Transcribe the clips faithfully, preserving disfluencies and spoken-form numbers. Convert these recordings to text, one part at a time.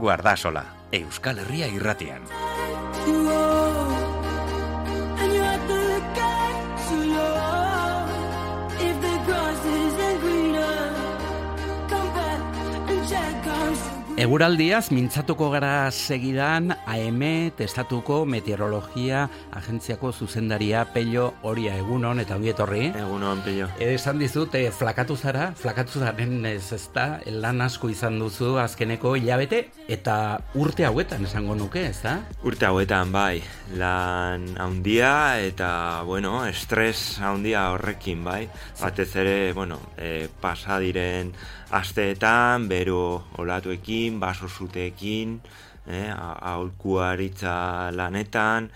Guardasola, Euskal Herria irratian. Eguraldiaz mintzatuko gara segidan A M testatuko meteorologia agentziako zuzendaria Pello Oria. Egunon eta ongi etorri. Egunon, Pello. Esan dizut, eh, flakatu zara, flakatu zaren ez ezta, lan asko izan duzu azkeneko hilabete eta urte hauetan esango nuke, ezta? Urte hauetan, bai, lan handia eta, bueno, estres handia horrekin, bai. Batez ere, bueno, eh, pasa diren asteetan, bero olatuekin, baso zuteekin, eh, aholkuaritza lanetan,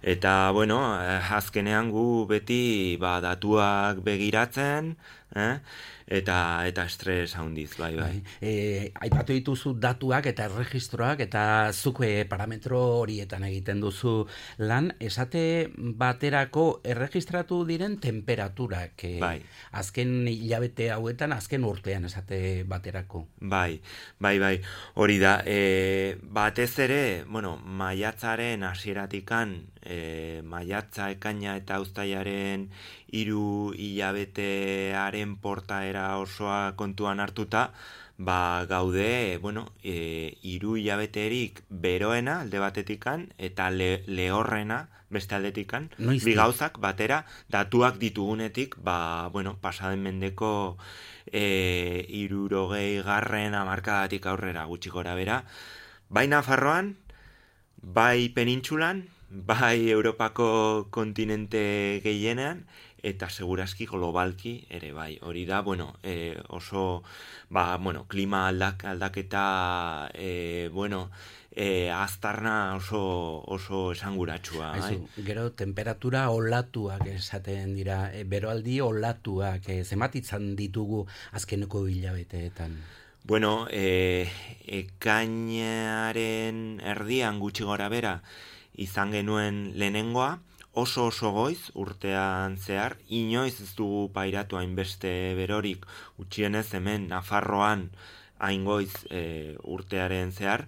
eta, bueno, azkenean gu beti ba, datuak begiratzen, eh, eta eta estres handiz, bai, bai. E, aipatu dituzu datuak eta erregistroak, eta zuk parametro horietan egiten duzu lan, esate baterako erregistratu diren temperaturak, e, bai. Azken hilabete hauetan, azken urtean esate baterako. Bai, bai, bai, hori da, e, batez ere, bueno, maiatzaren hasieratikan, e, maiatza, ekaina eta uztailaren hiru hilabetearen portaera osoa kontuan hartuta, ba gaude, bueno, e, hiru hilabeterik beroena alde batetikan eta le, lehorrena beste aldetikan, bi gauzak batera datuak ditugunetik, ba, bueno, pasaden mendeko e, hirurogei garren hamarkadatik aurrera gutxi gora bera, bai Nafarroan, bai penintsulan, bai Europako kontinente gehienean, eta segurazki globalki ere bai. Hori da, bueno, e, oso, ba, bueno, klima aldak, aldaketa, e, bueno, e, aztarna oso, oso esanguratsua. Aizu, bai? Gero, temperatura olatuak esaten dira, e, beroaldi olatuak, e, zematitzan ditugu azkeneko hilabeteetan. Bueno, e, ekainaren erdian gutxi gora bera izan genuen lehenengoa, oso oso goiz urtean zehar, inoiz ez dugu pairatu hainbeste berorik, gutxienez hemen Nafarroan hain goiz e, urtearen zehar,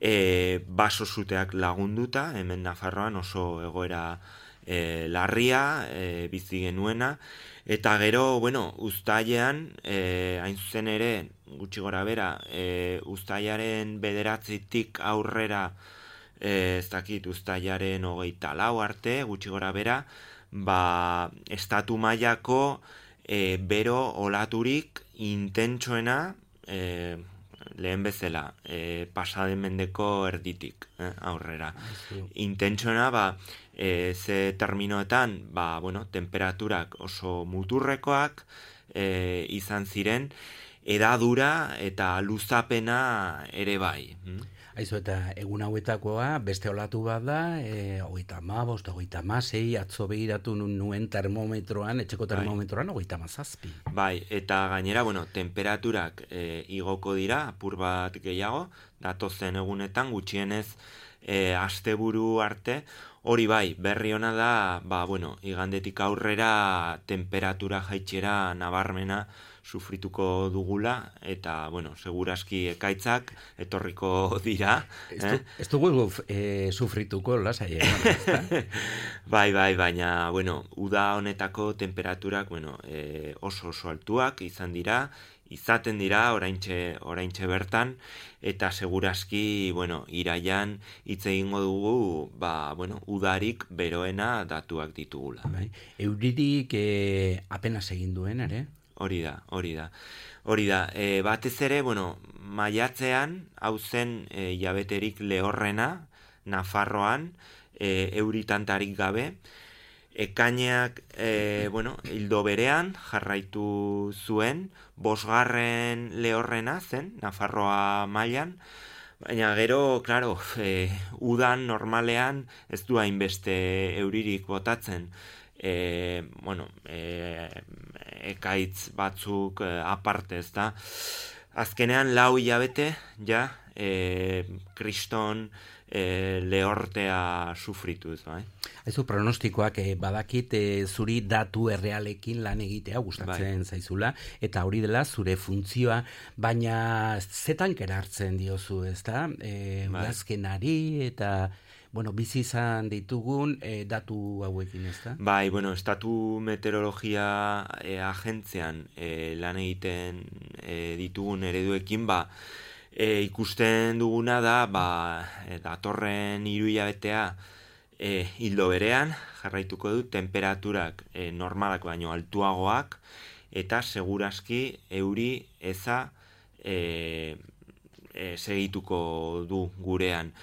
e, baso zuteak lagunduta, hemen Nafarroan oso egoera e, larria, e, bizi genuena, eta gero, bueno, uztailean, e, hain zuzen ere, gutxi gora bera, e, uztailaren bederatzitik aurrera, E, ez dakit, uztailaren hogeita lau arte, gutxi gora bera, ba, estatu mailako e, bero olaturik intentsoena, e, lehen bezala, e, pasaden mendeko erditik, eh, aurrera. Intentsoena, ba, e, ze terminoetan, ba, bueno, temperaturak oso muturrekoak e, izan ziren, edadura eta luzapena ere bai. Hm? Aizu, eta egun hauetakoa beste olatu bat da, e, hogeita hamabost, hogeita hamasei, atzo begiratu nuen termometroan, etxeko termometroan, hogeita hamazazpi. Bai, eta gainera, bueno, temperaturak e, igoko dira, apur bat gehiago, datozen egunetan, gutxienez e, asteburu arte, hori bai, berri ona da, ba, bueno, igandetik aurrera temperatura jaitxera nabarmena sufrituko dugula, eta, bueno, segurazki ekaitzak etorriko dira. Eh? Ez dugu e, sufrituko, lasai, eh? Bai, bai, baina, bueno, uda honetako temperaturak, bueno, e, oso oso altuak izan dira, izaten dira oraintxe, oraintxe bertan, eta segurazki, bueno, iraian hitz egingo dugu, ba, bueno, udarik beroena datuak ditugula. Bai. Euririk e, apenas egin duen, ere? Hori da, hori da. Hori da, e, batez ere, bueno, maiatzean, hau zen e, jabeterik lehorrena, Nafarroan, e, euritantarik gabe, ekaineak, e, bueno, hildo berean jarraitu zuen, bosgarren lehorrena zen, Nafarroa mailan, baina gero, klaro, e, udan normalean ez du hainbeste euririk botatzen. e, bueno, e, ekaitz batzuk e, aparte, ez da. Azkenean lau hilabete, ja, e, kriston e, lehortea sufrituz, bai. Aizu, pronostikoak eh, badakit eh, zuri datu errealekin lan egitea gustatzen bai. Zaizula, eta hori dela zure funtzioa, baina zetan kerartzen diozu, ezta? E, bai. Udazkenari eta... Bueno, bizi izan ditugun eh, datu hauekin, ezta? Bai, bueno, estatu meteorologia eh, agentzian eh, lan egiten eh, ditugun ereduekin, ba, eh, ikusten duguna da, ba, eh, datorren hiru hilabetea eh, hildo berean, jarraituko du, temperaturak eh, normalak baino altuagoak, eta seguraski euri eza eh, eh, segituko du gurean.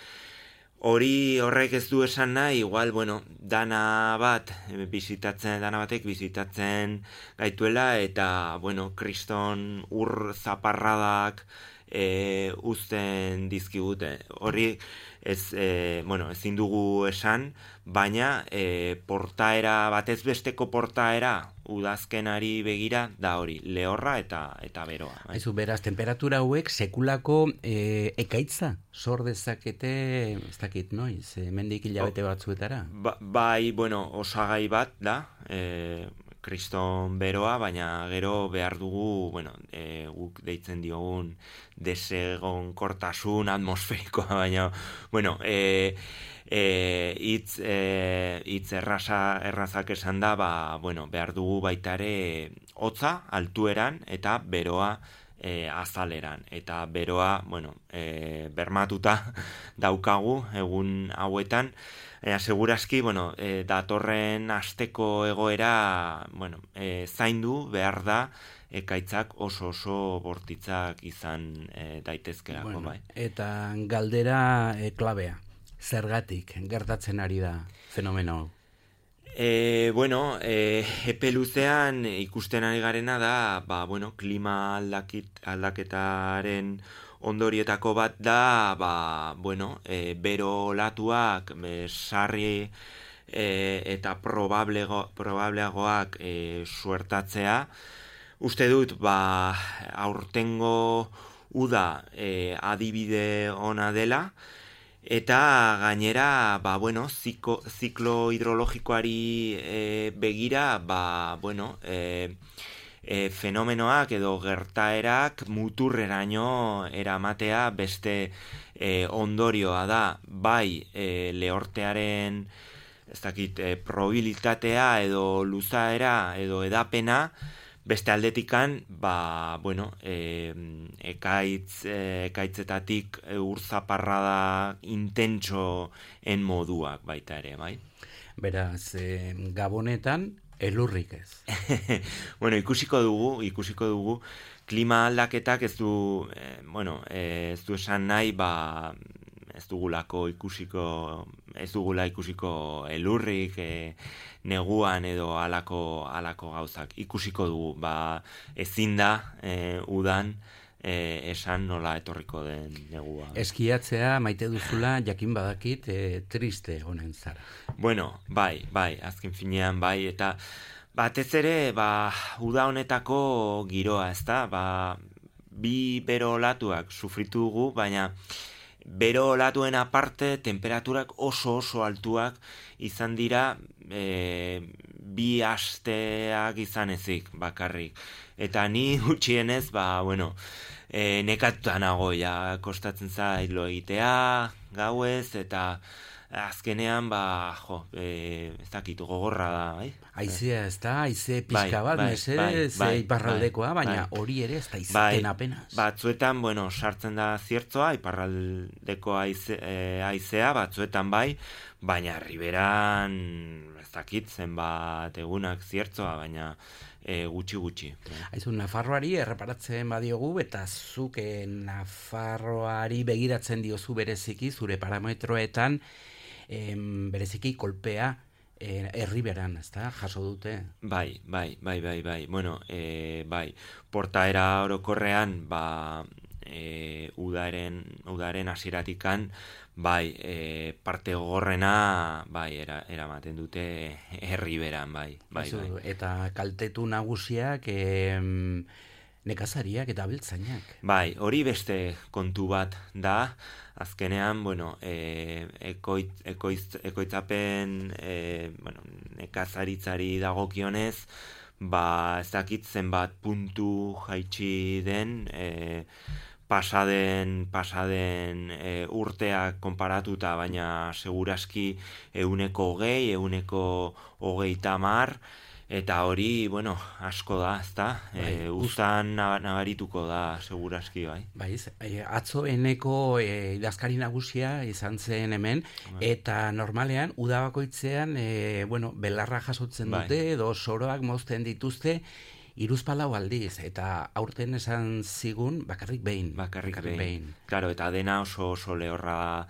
Hori horrek ez du esan nahi, igual, bueno, dana bat, bizitatzen, dana batek bizitatzen gaituela, eta, bueno, kriston ur zaparradak e, uzten dizkigute. Hori, ez, e, bueno, ezin dugu esan, baina e, portaera, batez besteko portaera, udazkenari begira da hori, lehorra eta eta beroa. Bai. Aizu, beraz, temperatura hauek sekulako e, ekaitza sor dezakete, ez dakit, noiz, e, mendik hilabete batzuetara? Ba, bai, bueno, osagai bat da, e, kriston beroa, baina gero behar dugu, bueno, e, guk deitzen diogun desegonkortasun atmosferikoa, baina, bueno, e, E, itz, e, itz erraza, errazak esan da, ba, bueno, behar dugu baitare hotza altueran eta beroa e, azaleran. Eta beroa, bueno, e, bermatuta daukagu egun hauetan. E, segurazki, bueno, e, datorren asteko egoera, bueno, e, zaindu behar da, ekaitzak oso oso bortitzak izan e, daitezkelako, bueno, bai. Eta galdera e, klabea. Zergatik gertatzen ari da fenomeno hau? E, bueno, e, epe luzean ikusten ari garena da, ba, bueno, klima aldakit, aldaketaren ondorietako bat da, ba, bueno, e, bero olatuak, e, sarri e, eta probablego, probableagoak e, suertatzea. Uste dut, ba, aurtengo uda e, adibide ona dela, eta gainera, ba, bueno, ziko, ziklo hidrologikoari e, begira, ba, bueno, e, e, fenomenoak edo gertaerak muturreraino eramatea beste e, ondorioa da, bai e, lehortearen, ez dakit, e, probabilitatea edo luzaera edo edapena, beste aldetikan, ba, bueno, e, ekaitz, e, ekaitzetatik e, urzaparrada intentsoen moduak baita ere, bai? Beraz, e, Gabonetan, elurrik ez. Bueno, ikusiko dugu, ikusiko dugu, klima aldaketak ez du, e, bueno, e, ez du esan nahi, ba, ez dugulako ikusiko, ez dugula ikusiko elurrik, e, neguan edo alako, alako gauzak. Ikusiko dugu, ba, ezin da, e, udan, e, esan nola etorriko den negua. Eskiatzea maite duzula, jakin badakit, e, triste honen zara. Bueno, bai, bai, azken finean, bai, eta batez ere, ba, uda honetako giroa, ezta, ba, bi bero olatuak sufritu dugu, baina bero olatuen aparte, temperaturak oso oso altuak izan dira e, bi asteak izan ezik bakarrik. Eta ni gutxienez, ba, bueno, e, nekatuta nago, ja, kostatzen zait lo egitea, gauez, eta azkenean, ba, jo, e, ez dakit, gogorra da, bai? Aizea, ez da, aize pixka bat, bai, mese, bai, bai, iparraldekoa, bai, baina hori ere ez da izaten bai, apenas. Batzuetan, bueno, sartzen da ziertzoa, iparraldeko aize, e, aizea, batzuetan bai, baina riberan, ez dakit, zenbat egunak ziertzoa, baina e, gutxi gutxi. Aizu, Nafarroari erreparatzen badiogu, eta zuk Nafarroari begiratzen diozu bereziki, zure parametroetan, em, bereziki kolpea eh, erriberan, ez da, jaso dute? Bai, bai, bai, bai, bai. Bueno, e, bai, portaera orokorrean, ba, e, udaren, udaren hasieratikan, bai, e, parte gogorrena, bai, era, eramaten dute herri beran, bai, bai, Aizu, bai. Eta kaltetu nagusiak em, nekazariak eta abeltzainak. Bai, hori beste kontu bat da, azkenean, bueno, e, ekoit, ekoiz, ekoitzapen e, bueno, nekazaritzari dagokionez, ba, ez dakit zenbat puntu jaitsi den, e, pasaden, pasaden e, urteak konparatuta, baina seguraski euneko hogei, euneko hogeita hamar, eta hori, bueno, asko da, ezta? Bai, E, uztan nabarituko da, seguraski, bai. Bai, atzo eneko e, idazkari nagusia izan zen hemen, Bai. eta normalean, udabakoitzean, e, bueno, belarra jasotzen Bai. dute, edo soroak mozten dituzte, iruzpalau aldiz, eta aurten esan zigun bakarrik behin. Bakarrik, behin. behin. Claro, eta dena oso oso lehorra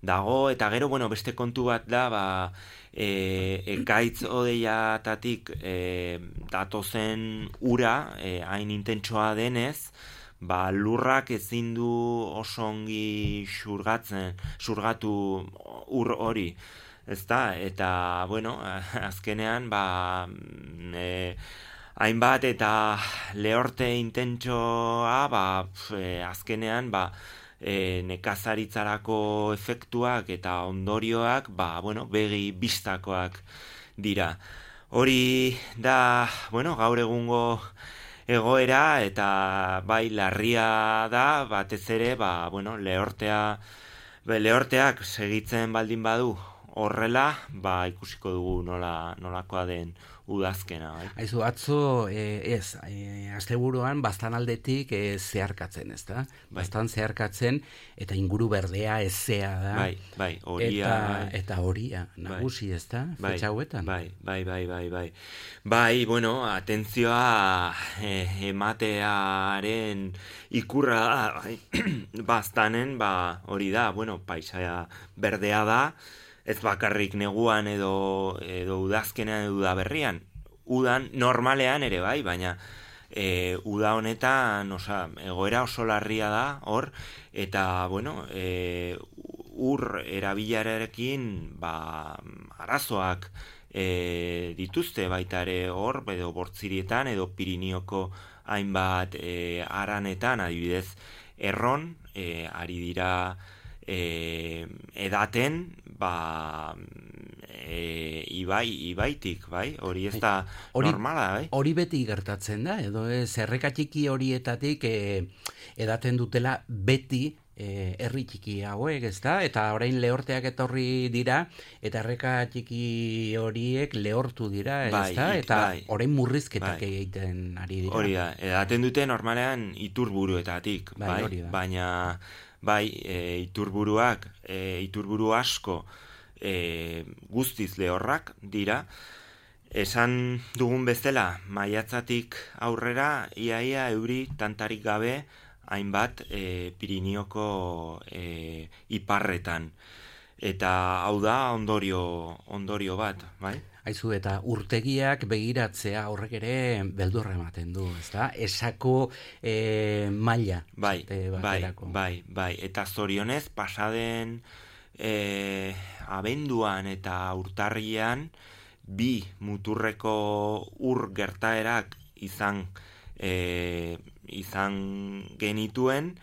dago, eta gero, bueno, beste kontu bat da, ba, e, ekaitz odeiatatik e, datozen ura, e, hain intentsoa denez, ba, lurrak ezin du oso ongi xurgatzen, xurgatu ur hori, ezta? Eta, bueno, azkenean, ba, e, hainbat eta lehorte intentsoa, ba, e, azkenean, ba, E, nekazaritzarako efektuak eta ondorioak, ba, bueno, begi bistakoak dira. Hori da, bueno, gaur egungo egoera, eta bai larria da, batez ere, ba, bueno, lehortea, be, lehorteak segitzen baldin badu horrela, ba, ikusiko dugu nola, nolakoa den udazkena, bai. Aizu, atzo, e, ez, e, asteburuan bastan aldetik e, zeharkatzen, ez da? Bai. Bastan zeharkatzen, eta inguru berdea ezea da. Bai, bai, horia. Eta, bai. eta horia, nagusi, ez da? Bai, Fetxa hauetan. bai, bai, bai, bai, bai. Bai, bueno, atentzioa e, ematearen ikurra da, bai. Bastanen, ba, hori da, bueno, paisaia berdea da, ez bakarrik neguan edo, edo udazkenean edo udaberrian. Udan normalean ere bai, baina e, uda honetan osa, egoera oso larria da hor, eta bueno, e, ur erabilerarekin ba, arazoak e, dituzte baita ere hor, edo Bortzirietan edo Pirinioko hainbat e, aranetan, adibidez erron, e, ari dira E, edaten ba e, ibai, ibaitik, bai? Hori ez da hori, normala, bai? Hori beti gertatzen da, edo ez, erreka txiki horietatik e, edaten dutela beti e, herri txiki hauek, ez da? Eta orain lehorteak etorri dira, eta erreka txiki horiek lehortu dira, ez bai, da? Eta bai, orain murrizketak bai. egiten ari dira. Hori da, edaten dute normalean iturburuetatik, bai? bai? Hori da. Baina bai, e, iturburuak, e, iturburu asko e, guztiz lehorrak dira. Esan dugun bezala, maiatzatik aurrera, iaia euri tantarik gabe hainbat e, Pirinioko e, iparretan. Eta hau da ondorio, ondorio bat, bai? Aizu, eta urtegiak begiratzea horrek ere beldurra ematen du, ezta? Esako e, maila. Bai, bai, bai, bai. Eta zorionez, pasaden e, abenduan eta urtarrian, bi muturreko ur gertaerak izan, e, izan genituen,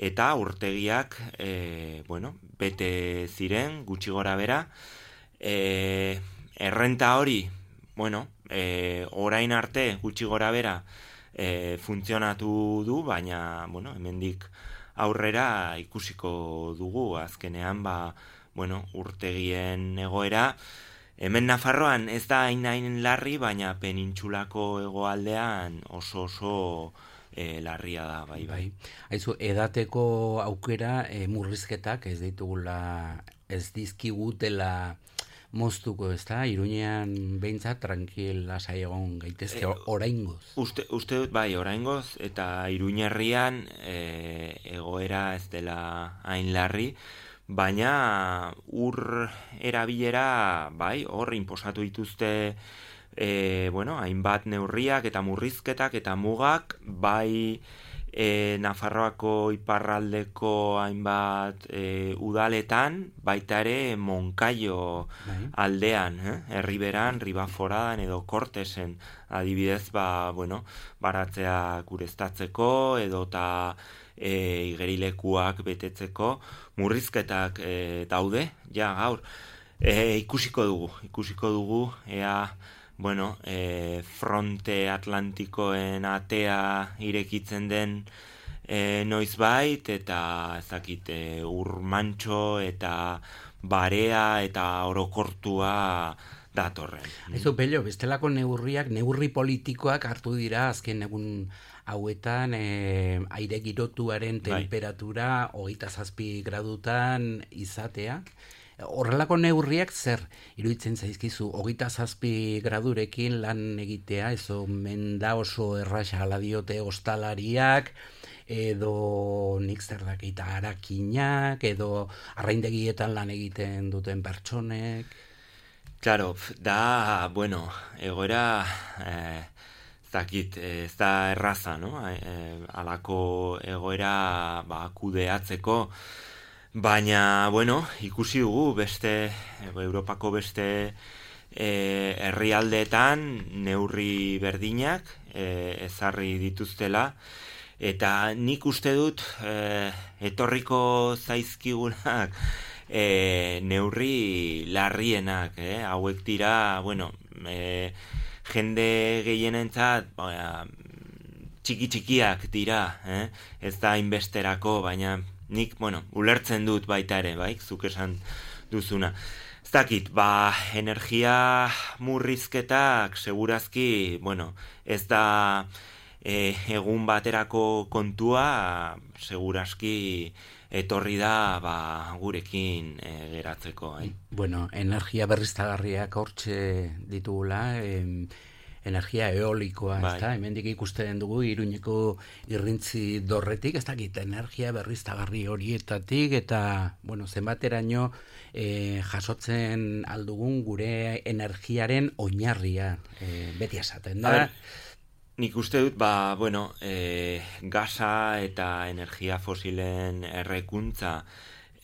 eta urtegiak, e, bueno, bete ziren, gutxi gora bera, e, errenta hori, bueno, e, orain arte gutxi gora bera e, funtzionatu du, baina, bueno, hemendik aurrera ikusiko dugu, azkenean, ba, bueno, urtegien egoera, hemen Nafarroan ez da hain hain larri, baina penintxulako hegoaldean oso oso e, larria da, bai, bai. Aizu, edateko aukera e, murrizketak ez ditugula, ez dizkigutela moztuko, ez da? Iruñean behintzat tranquil lasai egon gaitezke e, oraingoz. Uste, uste dut bai, oraingoz, eta Iruñerrian e, egoera ez dela hain larri, baina ur erabilera, bai, hor inposatu dituzte e, bueno, hainbat neurriak eta murrizketak eta mugak, bai e, Nafarroako iparraldeko hainbat e, udaletan, baita ere Monkaio aldean, eh? Erriberan, Ribaforadan edo Kortesen, adibidez, ba, bueno, baratzeak ureztatzeko edo eta e, igerilekuak betetzeko murrizketak e, daude, ja gaur. E, ikusiko dugu, ikusiko dugu, ea, bueno, e, fronte atlantikoen atea irekitzen den e, noizbait, eta ezakit, e, urmantxo eta barea eta orokortua datorren. Aizu, Pello, bestelako neurriak, neurri politikoak hartu dira azken egun hauetan e, aire girotuaren temperatura hogeita zazpi gradutan izatea. Horrelako neurriak zer iruditzen zaizkizu, hogeita zazpi gradurekin lan egitea, ez omen da oso erraxa ala diote ostalariak, edo nik zer dakita harakinak, edo arraindegietan lan egiten duten pertsonek. Claro, da, bueno, egoera, eh, zakit, ez da erraza, no? Eh, alako egoera ba, kudeatzeko, baina, bueno, ikusi dugu beste, Europako beste e, herrialdeetan neurri berdinak e, ezarri dituztela, eta nik uste dut e, etorriko zaizkigunak e, neurri larrienak, eh? Hauek dira, bueno, e, jende gehienentzat ba, txiki-txikiak dira, eh? Ez da inbesterako, baina nik, bueno, ulertzen dut baita ere, bai, zuk esan duzuna. Ez dakit, ba, energia murrizketak segurazki, bueno, ez da e, egun baterako kontua, segurazki etorri da, ba, gurekin e, geratzeko, eh? Bueno, energia berriztagarriak hortxe ditugula, em, energia eolikoa, bai. Ez da, hemendik ikusten dugu Iruñeko irrintzi dorretik, ez dakit, energia berriztagarri horietatik, eta, bueno, zenbateraino e, jasotzen aldugun gure energiaren oinarria, e, beti esaten da. Ber, nik uste dut, ba, bueno, e, gasa eta energia fosilen errekuntza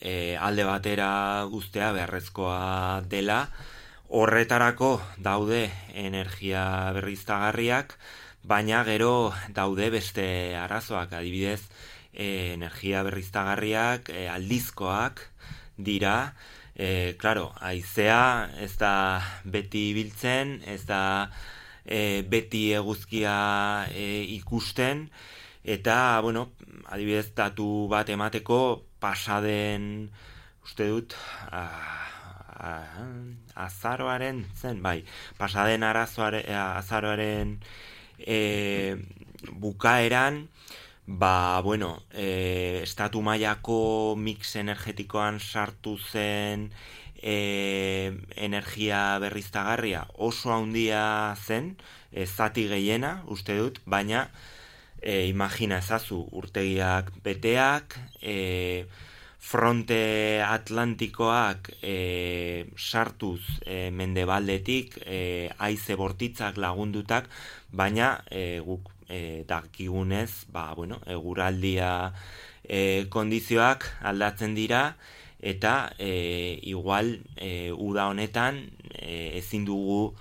e, alde batera guztea beharrezkoa dela. Horretarako daude energia berriztagarriak, baina gero daude beste arazoak, adibidez, e, energia berriztagarriak e, aldizkoak dira, e, claro, haizea ez da beti biltzen, ez da e, beti eguzkia e, ikusten, eta, bueno, adibidez, datu bat emateko pasaden, uste dut, ah, azaroaren zen, bai, pasaden arazoare, azaroaren e, bukaeran, ba, bueno, e, estatu mailako mix energetikoan sartu zen e, energia berriztagarria oso handia zen, e, zati gehiena, uste dut, baina e, imagina ezazu, urtegiak beteak, e, fronte atlantikoak e, sartuz e, mendebaldetik e, haize bortitzak lagundutak, baina e, guk e, dakigunez, ba, bueno, eguraldia e, kondizioak aldatzen dira, eta e, igual e, uda honetan e, ezin dugu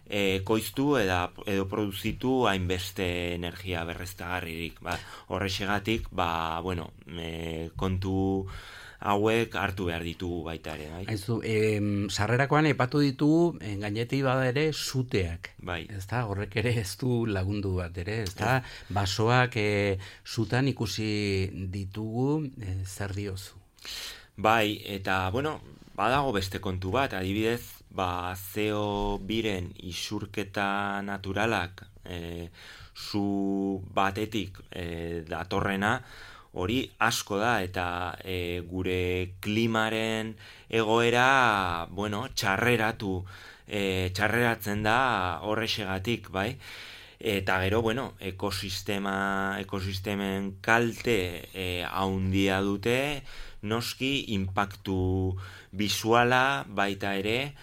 e, koiztu eda, edo produzitu hainbeste energia berreztagarririk. Ba, horrexegatik, ba, bueno, e, kontu hauek hartu behar ditugu baita ere. Bai? Aizu, e, sarrerakoan epatu ditugu, en gainetik bada ere, zuteak. Bai. Ez da, horrek ere ez du lagundu bat ere, ez da, basoak e, zutan ikusi ditugu, e, zer diozu? Bai, eta, bueno, badago beste kontu bat, adibidez, ba, C O biren isurketa naturalak e, zu batetik e, datorrena, hori asko da, eta e, gure klimaren egoera, bueno, txarreratu, e, txarreratzen da horrexegatik, bai? Eta gero, bueno, ekosistema, ekosistemen kalte e, haundia dute, noski, impactu bisuala baita ere,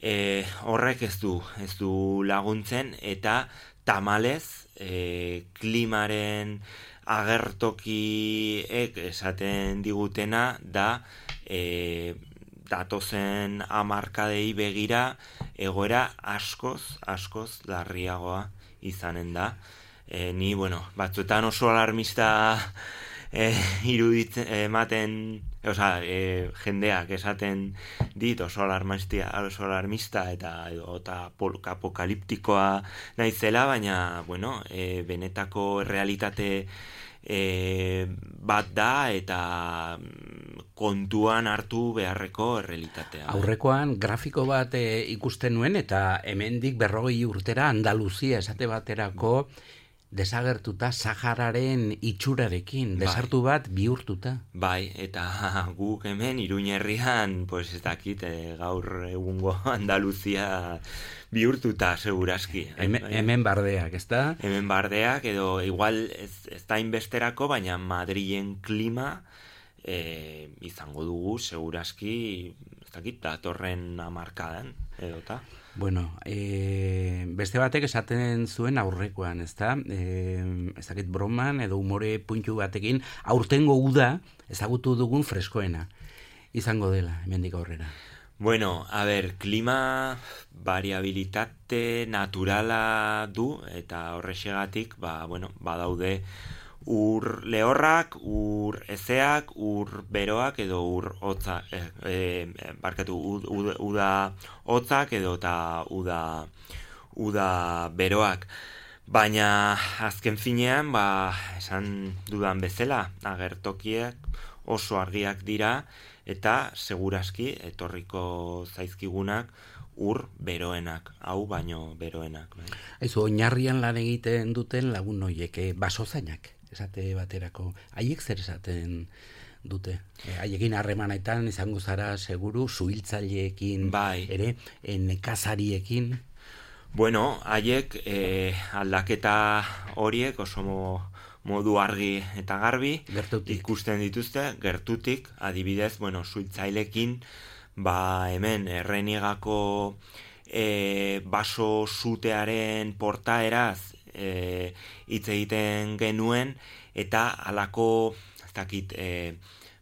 e, horrek ez du, ez du laguntzen, eta tamalez, e, klimaren agertokiek esaten digutena da e, datozen hamarkadei begira egoera askoz, askoz larriagoa izanen da. E, ni, bueno, batzuetan oso alarmista e, iruditzen, ematen, osea, e, jendeak esaten dit oso alarmista, oso alarmista eta eta apokaliptikoa naizela, baina, bueno, e, benetako realitate e, bat da eta kontuan hartu beharreko errealitatea. Aurrekoan grafiko bat e, ikusten nuen eta hemendik berrogei urtera Andaluzia esate baterako desagertuta Sahararen itxurarekin, desartu bat bihurtuta. Bai, eta guk hemen Iruñerrian, pues ez dakit, eh, gaur egungo Andaluzia bihurtuta, segurazki. Hemen, hemen bardeak, ez da? Hemen bardeak, edo igual ez, ez da inbesterako, baina Madrilen klima eh, izango dugu, segurazki, ez dakit, datorren hamarkadan, edota. Bueno, e, beste batek esaten zuen aurrekoan, ezta? E, ez dakit broman edo umore puntu batekin aurtengo uda ezagutu dugun freskoena izango dela hemendik aurrera. Bueno, a ber, klima variabilitate naturala du eta horrexegatik, ba, bueno, badaude ur lehorrak, ur ezeak, ur beroak edo ur hotza, eh, eh, barkatu, uda, uda hotzak edo eta uda, uda beroak. Baina azken finean, ba, esan dudan bezala, agertokiak oso argiak dira eta segurazki etorriko zaizkigunak ur beroenak, hau baino beroenak. Bai. Aizu, oinarrian lan egiten duten lagun horiek, basozainak. Esate baterako, haiek zer esaten dute? E, haiekin harremanetan izango zara seguru, suhiltzaileekin bai. ere, e, nekazariekin? Bueno, haiek e, aldaketa horiek oso modu argi eta garbi gertutik. Ikusten dituzte, gertutik, adibidez, bueno, suhiltzaileekin, ba hemen Errenigako e, baso sutearen portaeraz E, hitz egiten genuen eta halako ez dakit e,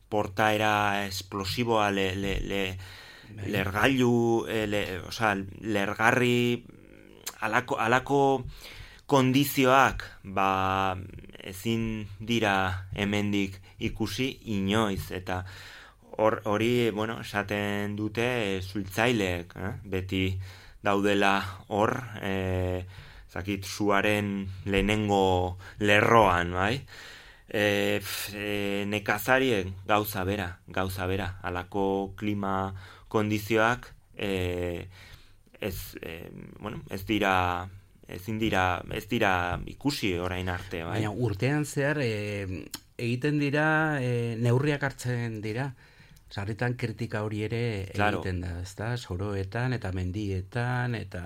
portaera esplosiboa le, le, le, lergailu e, le, osea, lergarri halako, halako kondizioak ba ezin dira hemendik ikusi inoiz eta hor, hori bueno, esaten dute suhiltzaileek, eh? Beti daudela hor e, zakit, zuaren lehenengo lerroan, bai? E, e, nekazarien gauza bera, gauza bera, halako klima kondizioak e, ez, e, bueno, ez dira, ezin dira, ez dira ikusi orain arte, bai? Baina urtean zehar e, egiten dira, e, neurriak hartzen dira, sarritan kritika hori ere claro. Egiten da, ezta? Soroetan eta mendietan eta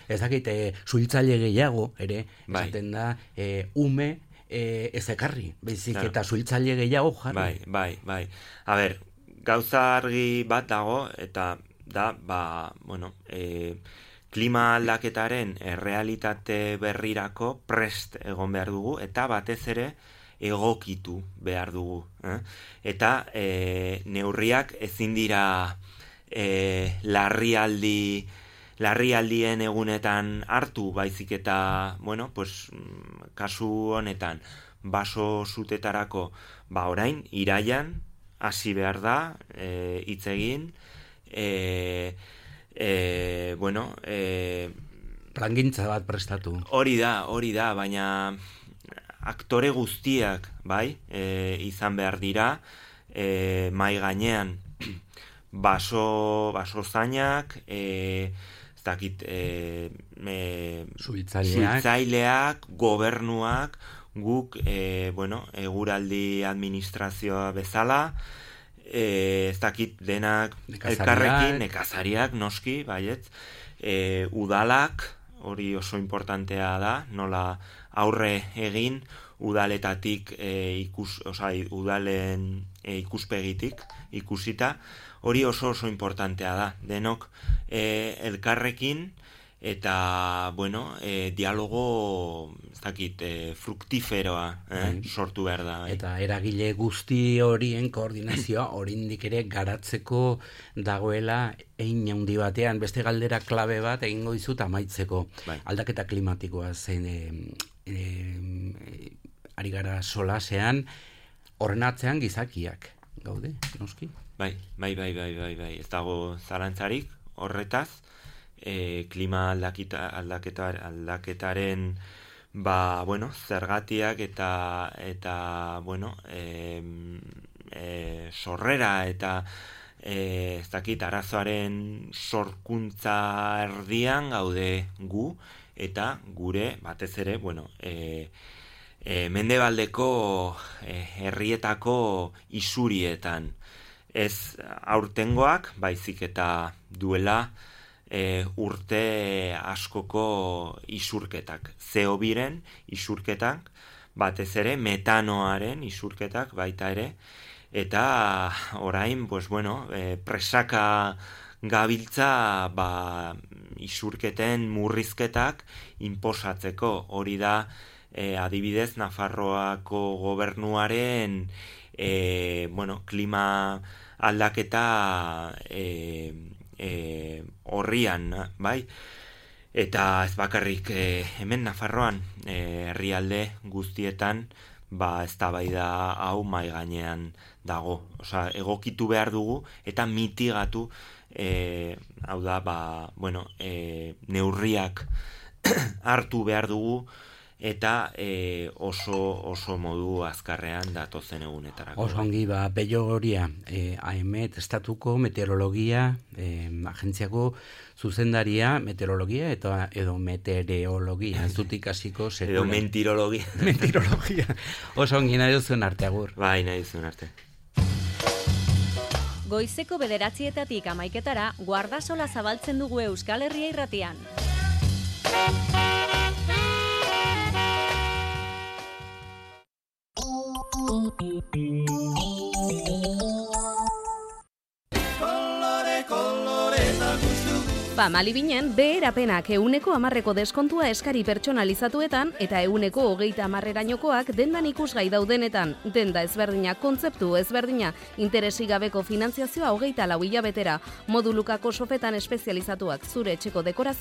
ez dakite suhiltzaile gehiago ere bai. Esaten da e, ume e, ez ekarri, baizik claro. Eta suhiltzaile gehiago jarri. Bai, bai, bai. A ber, gauza argi bat dago eta da, ba, bueno, e, klima aldaketaren errealitate berrirako prest egon behar dugu eta batez ere egokitu behar dugu. Eh? Eta e, neurriak ezin dira e, larrialdi, larrialdien egunetan hartu, baizik eta, bueno, pues, kasu honetan, baso zutetarako, ba orain, iraian, hasi behar da, e, hitz egin, e, e, bueno, e, plangintza bat prestatu. Hori da, hori da, baina aktore guztiak, bai, e, izan behar dira, e, mai gainean, baso, baso zainak, e, ez dakit, e, e, suhiltzaileak, gobernuak, guk, e, bueno, eguraldi administrazioa bezala, e, ez dakit denak elkarrekin, nekazariak, noski, baietz, e, udalak, hori oso importantea da, nola aurre egin udaletatik e, ikus, oza, udalen e, ikuspegitik ikusita, hori oso oso importantea da, denok e, elkarrekin eta, bueno, e, dialogo, ez dakit, e, fruktiferoa eh, sortu behar da. Bai. Eta eragile guzti horien koordinazioa oraindik ere garatzeko dagoela hein handi batean, beste galdera klabe bat egingo dizut amaitzeko. Bai. Aldaketa klimatikoa zen e, e, ari gara solasean, horren atzean gizakiak gaude, noski? Bai, bai, bai, bai, bai, bai. Ez dago zalantzarik horretaz, e, klima aldaketa, aldaketa, aldaketaren ba, bueno, zergatiak eta eta, bueno, e, e, sorrera eta e, ez dakit, arazoaren sorkuntza erdian gaude gu, eta gure, batez ere, bueno, e, E, mendebaldeko e, herrietako isurietan. Ez aurtengoak, baizik eta duela e, urte askoko isurketak. C O biren isurketak, batez ere metanoaren isurketak baita ere, eta orain, pues bueno, e, presaka gabiltza ba, isurketen murrizketak inposatzeko. Hori da, E, adibidez, Nafarroako gobernuaren e, bueno, klima aldaketa e, e, horrian, bai? Eta ez bakarrik e, hemen Nafarroan e, herrialde guztietan ba eztabaida hau mai gainean dago. Osea, egokitu behar dugu eta mitigatu e, hau da, ba, bueno, e, neurriak hartu behar dugu eta e, oso oso modu azkarrean datozen egunetarako. Oso ongi, ba, Pello Goria, e, A E M E T, Estatuko Meteorologia e, Agentziako zuzendaria, meteorologia eta edo meteorologia, ez dut ikasiko sekula. Edo mentirologia. Mentirologia. Oso ongi, nahi duzuen arte, agur. Bai, nahi duzuen arte. Goizeko bederatzietatik amaiketara, guardasola zabaltzen dugu Euskal Herria irratian. Ba, Malibinen, beherapenak euneko amarreko deskontua eskari pertsonalizatuetan eta euneko hogeita amarrerainokoak dendan ikusgai daudenetan. Denda ezberdina, kontzeptu ezberdina, interesik gabeko finantziazioa hogeita lau hilabetera, modulukako sofetan espezializatuak zure etxeko dekorazio